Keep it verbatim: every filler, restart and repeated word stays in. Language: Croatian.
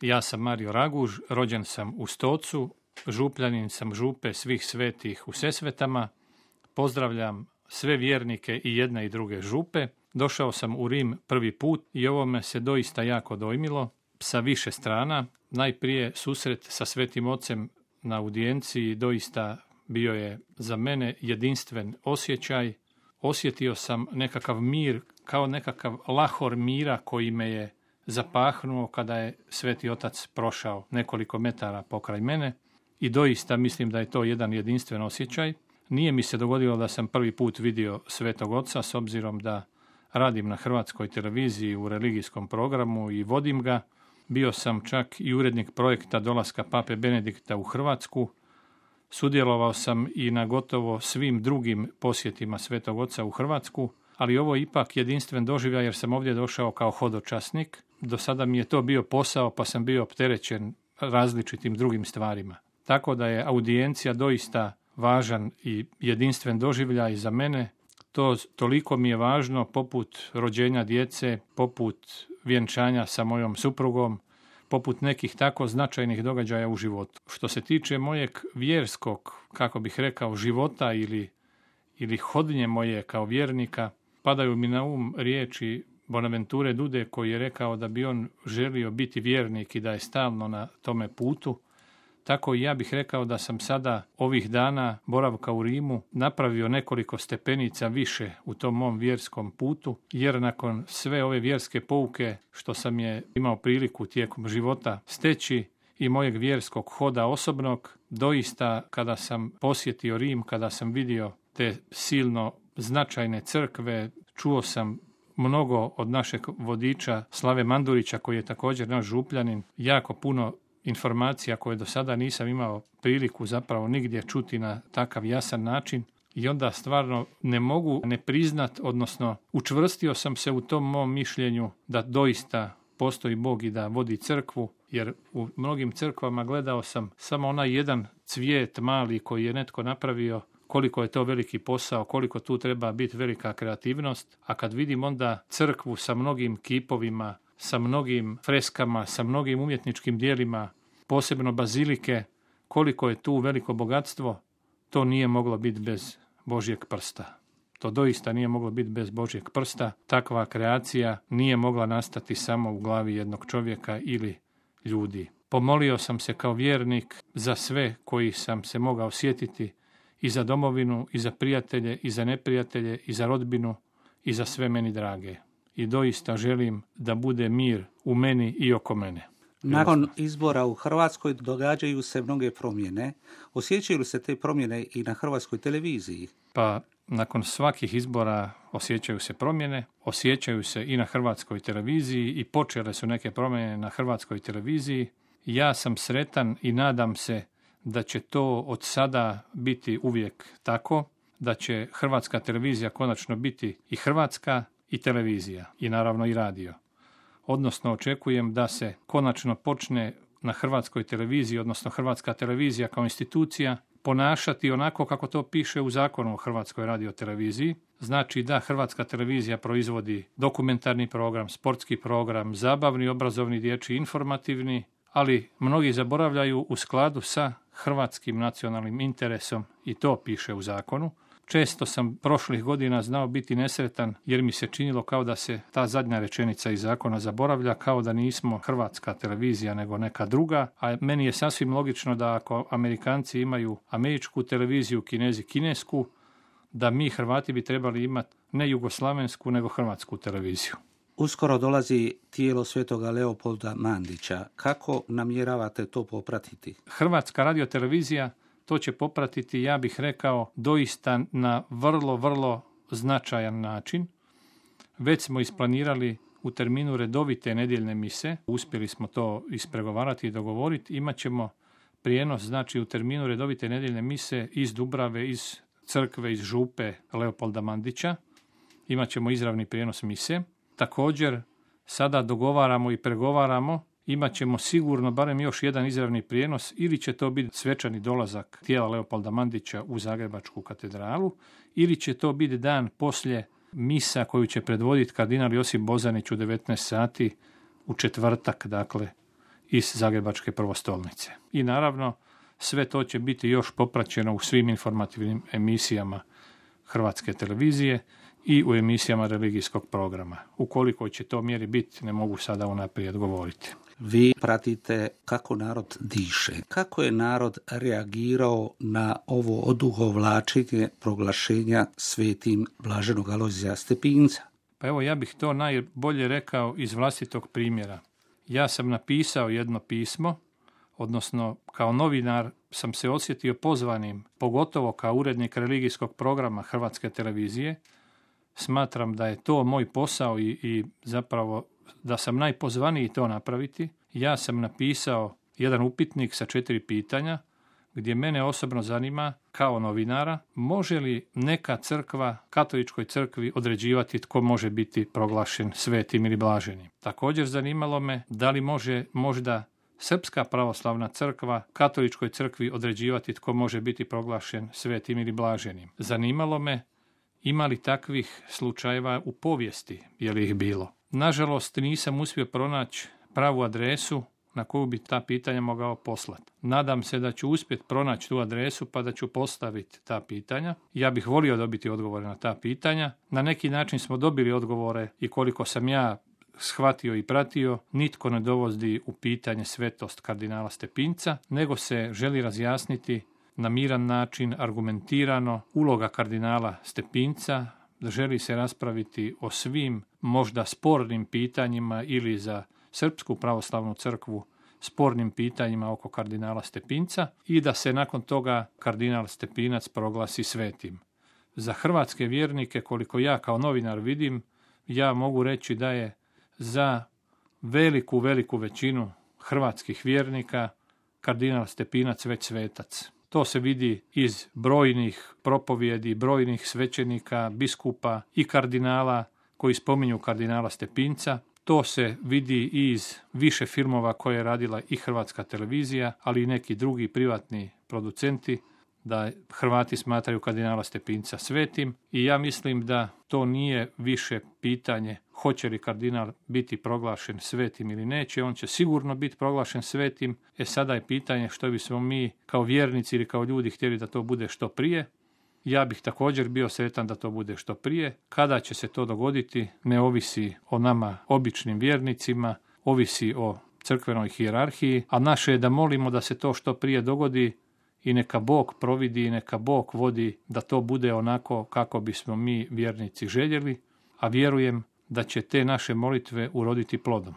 Ja sam Mario Raguž, rođen sam u Stocu, župljanin sam župe Svih svetih u Sesvetama. Pozdravljam sve vjernike i jedne i druge župe. Došao sam u Rim prvi put i ovo me se doista jako dojmilo sa više strana. Najprije susret sa Svetim Ocem na audijenciji doista bio je za mene jedinstven osjećaj. Osjetio sam nekakav mir, kao nekakav lahor mira koji me je zapahnuo kada je Sveti Otac prošao nekoliko metara pokraj mene i doista mislim da je to jedan jedinstven osjećaj. Nije mi se dogodilo da sam prvi put vidio Svetog Oca, s obzirom da radim na Hrvatskoj televiziji u religijskom programu i vodim ga. Bio sam čak i urednik projekta dolaska Pape Benedikta u Hrvatsku. Sudjelovao sam i na gotovo svim drugim posjetima Svetog Oca u Hrvatsku, ali ovo je ipak jedinstven doživljaj jer sam ovdje došao kao hodočasnik. Do sada mi je to bio posao pa sam bio opterećen različitim drugim stvarima. Tako da je audijencija doista važan i jedinstven doživljaj za mene. To toliko mi je važno poput rođenja djece, poput vjenčanja sa mojom suprugom, poput nekih tako značajnih događaja u životu. Što se tiče mojeg vjerskog, kako bih rekao, života ili, ili hodnje moje kao vjernika, padaju mi na um riječi Bonaventure Dude koji je rekao da bi on želio biti vjernik i da je stalno na tome putu. Tako i ja bih rekao da sam sada ovih dana boravka u Rimu napravio nekoliko stepenica više u tom mom vjerskom putu, jer nakon sve ove vjerske pouke što sam je imao priliku tijekom života steći i mojeg vjerskog hoda osobnog, doista kada sam posjetio Rim, kada sam vidio te silno značajne crkve, čuo sam mnogo od našeg vodiča Slave Mandurića, koji je također naš župljanin, jako puno informacija koje do sada nisam imao priliku zapravo nigdje čuti na takav jasan način i onda stvarno ne mogu ne priznat, odnosno učvrstio sam se u tom mom mišljenju da doista postoji Bog i da vodi crkvu, jer u mnogim crkvama gledao sam samo onaj jedan cvijet mali koji je netko napravio, koliko je to veliki posao, koliko tu treba biti velika kreativnost, a kad vidim onda crkvu sa mnogim kipovima, sa mnogim freskama, sa mnogim umjetničkim dijelima, posebno bazilike, koliko je tu veliko bogatstvo, to nije moglo biti bez Božjeg prsta. To doista nije moglo biti bez Božjeg prsta. Takva kreacija nije mogla nastati samo u glavi jednog čovjeka ili ljudi. Pomolio sam se kao vjernik za sve koji sam se mogao sjetiti, i za domovinu, i za prijatelje, i za neprijatelje, i za rodbinu, i za sve meni drage. I doista želim da bude mir u meni i oko mene. Nakon izbora u Hrvatskoj događaju se mnoge promjene. Osjećaju li se te promjene i na Hrvatskoj televiziji? Pa nakon svakih izbora osjećaju se promjene, osjećaju se i na Hrvatskoj televiziji i počele su neke promjene na Hrvatskoj televiziji. Ja sam sretan i nadam se da će to od sada biti uvijek tako, da će Hrvatska televizija konačno biti i hrvatska i televizija i naravno i radio. Odnosno očekujem da se konačno počne na Hrvatskoj televiziji, odnosno Hrvatska televizija kao institucija, ponašati onako kako to piše u zakonu o Hrvatskoj radioteleviziji. Znači da Hrvatska televizija proizvodi dokumentarni program, sportski program, zabavni, obrazovni, dječji, informativni, ali mnogi zaboravljaju u skladu sa hrvatskim nacionalnim interesom i to piše u zakonu. Često sam prošlih godina znao biti nesretan jer mi se činilo kao da se ta zadnja rečenica iz zakona zaboravlja, kao da nismo Hrvatska televizija nego neka druga, a meni je sasvim logično da ako Amerikanci imaju američku televiziju, Kinezi kinesku, da mi Hrvati bi trebali imati ne jugoslavensku nego hrvatsku televiziju. Uskoro dolazi tijelo svetoga Leopolda Mandića. Kako namjeravate to popratiti? Hrvatska radiotelevizija to će popratiti, ja bih rekao, doista na vrlo, vrlo značajan način. Već smo isplanirali u terminu redovite nedjeljne mise, uspjeli smo to ispregovarati i dogovoriti, imat ćemo prijenos, znači u terminu redovite nedjeljne mise iz Dubrave, iz crkve, iz župe Leopolda Mandića, imat ćemo izravni prijenos mise. Također, sada dogovaramo i pregovaramo, imat ćemo sigurno barem još jedan izravni prijenos, ili će to biti svečani dolazak tijela Leopolda Mandića u Zagrebačku katedralu, ili će to biti dan poslije misa koju će predvoditi kardinal Josip Bozanić u devetnaest sati u četvrtak, dakle, iz Zagrebačke prvostolnice. I naravno, sve to će biti još popraćeno u svim informativnim emisijama Hrvatske televizije i u emisijama religijskog programa. Ukoliko će to mjeri biti, ne mogu sada unaprijed govoriti. Vi pratite kako narod diše. Kako je narod reagirao na ovo odugovlačenje proglašenja svetim blaženog Alojzija Stepinca? Pa evo, ja bih to najbolje rekao iz vlastitog primjera. Ja sam napisao jedno pismo, odnosno kao novinar sam se osjetio pozvanim, pogotovo kao urednik religijskog programa Hrvatske televizije. Smatram da je to moj posao i, i zapravo da sam najpozvaniji to napraviti. Ja sam napisao jedan upitnik sa četiri pitanja gdje mene osobno zanima kao novinara može li neka crkva, katoličkoj crkvi određivati tko može biti proglašen svetim ili blaženim. Također zanimalo me da li može možda Srpska pravoslavna crkva katoličkoj crkvi određivati tko može biti proglašen svetim ili blaženim. Zanimalo me ima li takvih slučajeva u povijesti, je li ih bilo. Nažalost, nisam uspio pronaći pravu adresu na koju bi ta pitanja mogao poslati. Nadam se da ću uspjeti pronaći tu adresu pa da ću postaviti ta pitanja. Ja bih volio dobiti odgovore na ta pitanja. Na neki način smo dobili odgovore i koliko sam ja shvatio i pratio, nitko ne dovodi u pitanje svetost kardinala Stepinca, nego se želi razjasniti na miran način, argumentirano, uloga kardinala Stepinca, želi se raspraviti o svim možda spornim pitanjima ili za Srpsku pravoslavnu crkvu spornim pitanjima oko kardinala Stepinca i da se nakon toga kardinal Stepinac proglasi svetim. Za hrvatske vjernike, koliko ja kao novinar vidim, ja mogu reći da je za veliku, veliku većinu hrvatskih vjernika kardinal Stepinac već svetac. To se vidi iz brojnih propovjedi, brojnih svećenika, biskupa i kardinala koji spominju kardinala Stepinca. To se vidi i iz više filmova koje je radila i Hrvatska televizija, ali i neki drugi privatni producenti, da Hrvati smatraju kardinala Stepinca svetim i ja mislim da to nije više pitanje hoće li kardinal biti proglašen svetim ili neće, on će sigurno biti proglašen svetim. E sada je pitanje što bismo mi kao vjernici ili kao ljudi htjeli da to bude što prije. Ja bih također bio sretan da to bude što prije. Kada će se to dogoditi ne ovisi o nama običnim vjernicima, ovisi o crkvenoj hijerarhiji, a naše je da molimo da se to što prije dogodi i neka Bog providi i neka Bog vodi da to bude onako kako bismo mi vjernici željeli, a vjerujem da će te naše molitve uroditi plodom.